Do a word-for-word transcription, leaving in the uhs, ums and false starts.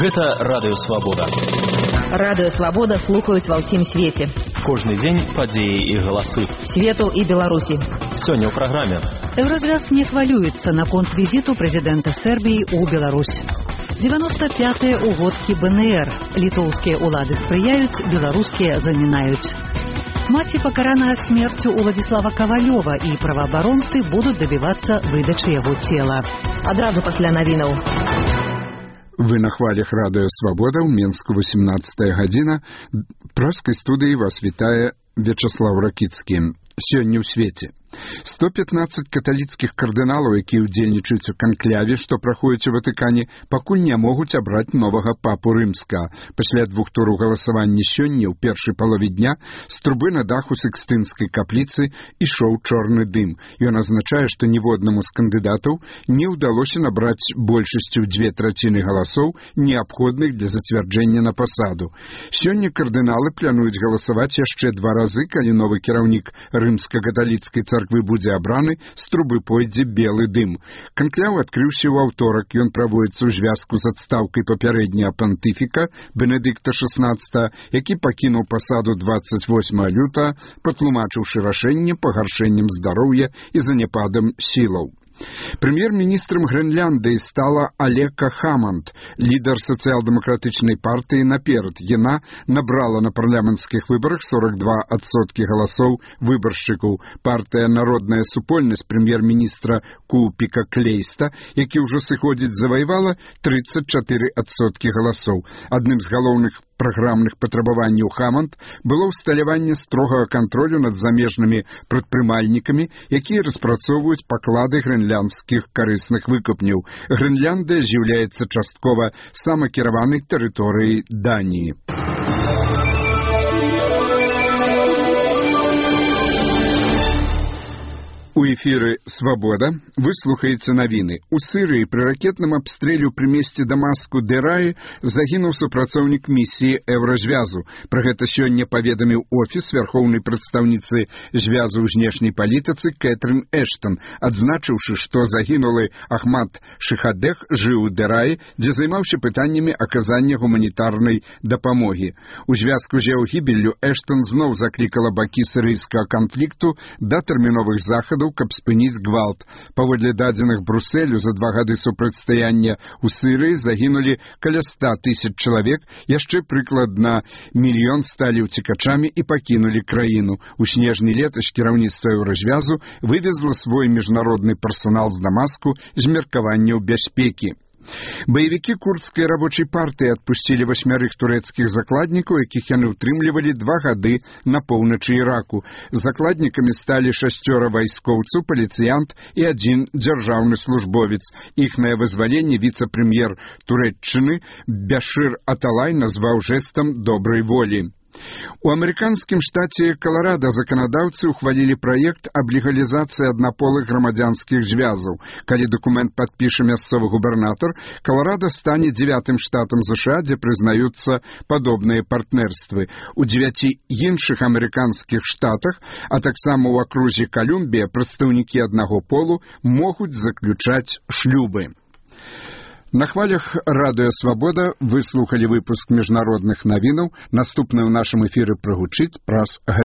Гэта Радыё Свабода. Радыё Свабода слухаюць ва ўсім свеце. Кожны дзень падзеі і галасы. Свету і Беларусі. Сёння ў праграме. Еўразвяз не хвалюецца наконт візіту прэзідэнта Сербіі ў Беларусь. девяносто пятыя угодкі бэ эн эр. Літоўскія ўлады спрыяюць, беларускія замінаюць. Маці пакараная смерцю Уладзіслава Кавалёва і праваабаронцы будуць дабівацца выдачы яго цела. Адразу пасля навінаў. Вы на хвалях Радыё Свабода, ў Менску восемнадцатая гадзіна. Праскай студыі вас вітае Вячаслав Ракіцкі. Сёння ў свеце. сто пятнадцаць каталіцкіх кардыналаў, якія ўдзельнічаюць у канкляве, што праходзіць у Ватыкане, пакуль не могуць абраць новага папу рымскага. Пасля двух тураў галасавання сёння, ў першай палове дня, з трубы на даху Сікстынскай капліцы ішоў чорны дым. Ён азначае, што ніводнаму з кандыдатаў не ўдалося набраць большасцю ў дзве траціны галасоў, неабходных для зацвярджэння на пасаду. Сёння кардыналы плануюць галасаваць яшчэ два разы, калі новы кіраўнік рымска-каталіцкай царквы царквы будзе абраны, з трубы пойдзе белы дым. Канкляў адкрыўся ў аўторак. Ён праводзіцца ў звязку з адстаўкай папярэдняга пантыфіка Бенедыкта шаснаццатага, які пакінуў пасаду дваццаць восьмага лютага, патлумачыўшы рашэнне пагаршэннем здароўя і заняпадам сілаў. Прэм'ер-міністрам Грэнляндыі стала Алека Хаманд, лідар сацыял-дэмакратычнай партыі «Наперад». Яна набрала на парламенцкіх выбарах сорок два адсоткі галасоў выбаршчыкаў. Партыя «Народная супольнасць» прэм'ер-міністра Купіка Клейста, які ўжо сыходзіць, заваявала трыццаць чатыры адсоткі галасоў. Адным з галоўных праграмных патрабаванняў Хаманд было ўсталяванне строгага кантролю над замежнымі прадпрымальнікамі, якія распрацоўваюць паклады грэнляндскіх карысных выкапняў. Грэнляндыя з'яўляецца часткова самакіраванай тэрыторыяй Даніі. У эфіры «Свабода» вы слухаеце навіны. У Сырыі пры ракетным абстрэле пры месці Дамаску Дэраі загінуў супрацоўнік місіі Еўразвязу. Пра гэта сёння паведаміў офіс вярхоўнай прадстаўніцы звязу ў знешняй палітыцы Кэтрын Эштон, адзначыўшы, што загінулы Ахмад Шыхадэх жыў у Дэраі, дзе займаўся пытаннямі аказання гуманітарнай дапамогі. У звязку з яго гібеллю Эштон зноў заклікала бакі сірыйскага канфлікту да тэрміновых захадаў, каб спыніць гвалт. Паводле дадзеных Брусэлю, за два гады супрацьстаяння ў Сырыі загінулі каля ста тысяч чалавек, яшчэ прыкладна мільён сталі ўцекачамі і пакінулі краіну. У снежні летась кіраўніцтва Еўразвязу вывезла свой міжнародны персанал з Дамаску з меркаванняў бяспекі. Баевікі курдскай рабочай партыі адпусцілі васьмярых турэцкіх закладнікаў, якіх яны ўтрымлівалі два гады на поўначы Іраку. Закладнікамі сталі шасцёра вайскоўцаў, паліцыянт і адзін дзяржаўны службовец. Іхнае вызваленне віцэ-прэм'ер Турэччыны Бяшыр Аталай назваў жэстам добрай волі. У амерыканскім штаце Каларада заканадаўцы ўхвалілі праект аб легалізацыі аднаполых грамадзянскіх звязаў. Калі дакумент падпіша мясцовы губернатар, Каларада стане дзевятым штатам ЗША, дзе прызнаюцца падобныя партнерствы. У дзевяці іншых амерыканскіх штатах, а таксама ў акрузе Калумбія, прадстаўнікі аднаго полу могуць заключаць шлюбы. На хвалях Радыё Свабода вы слухалі выпуск міжнародных навінаў. Наступны ў нашым эфіры прагучыць праз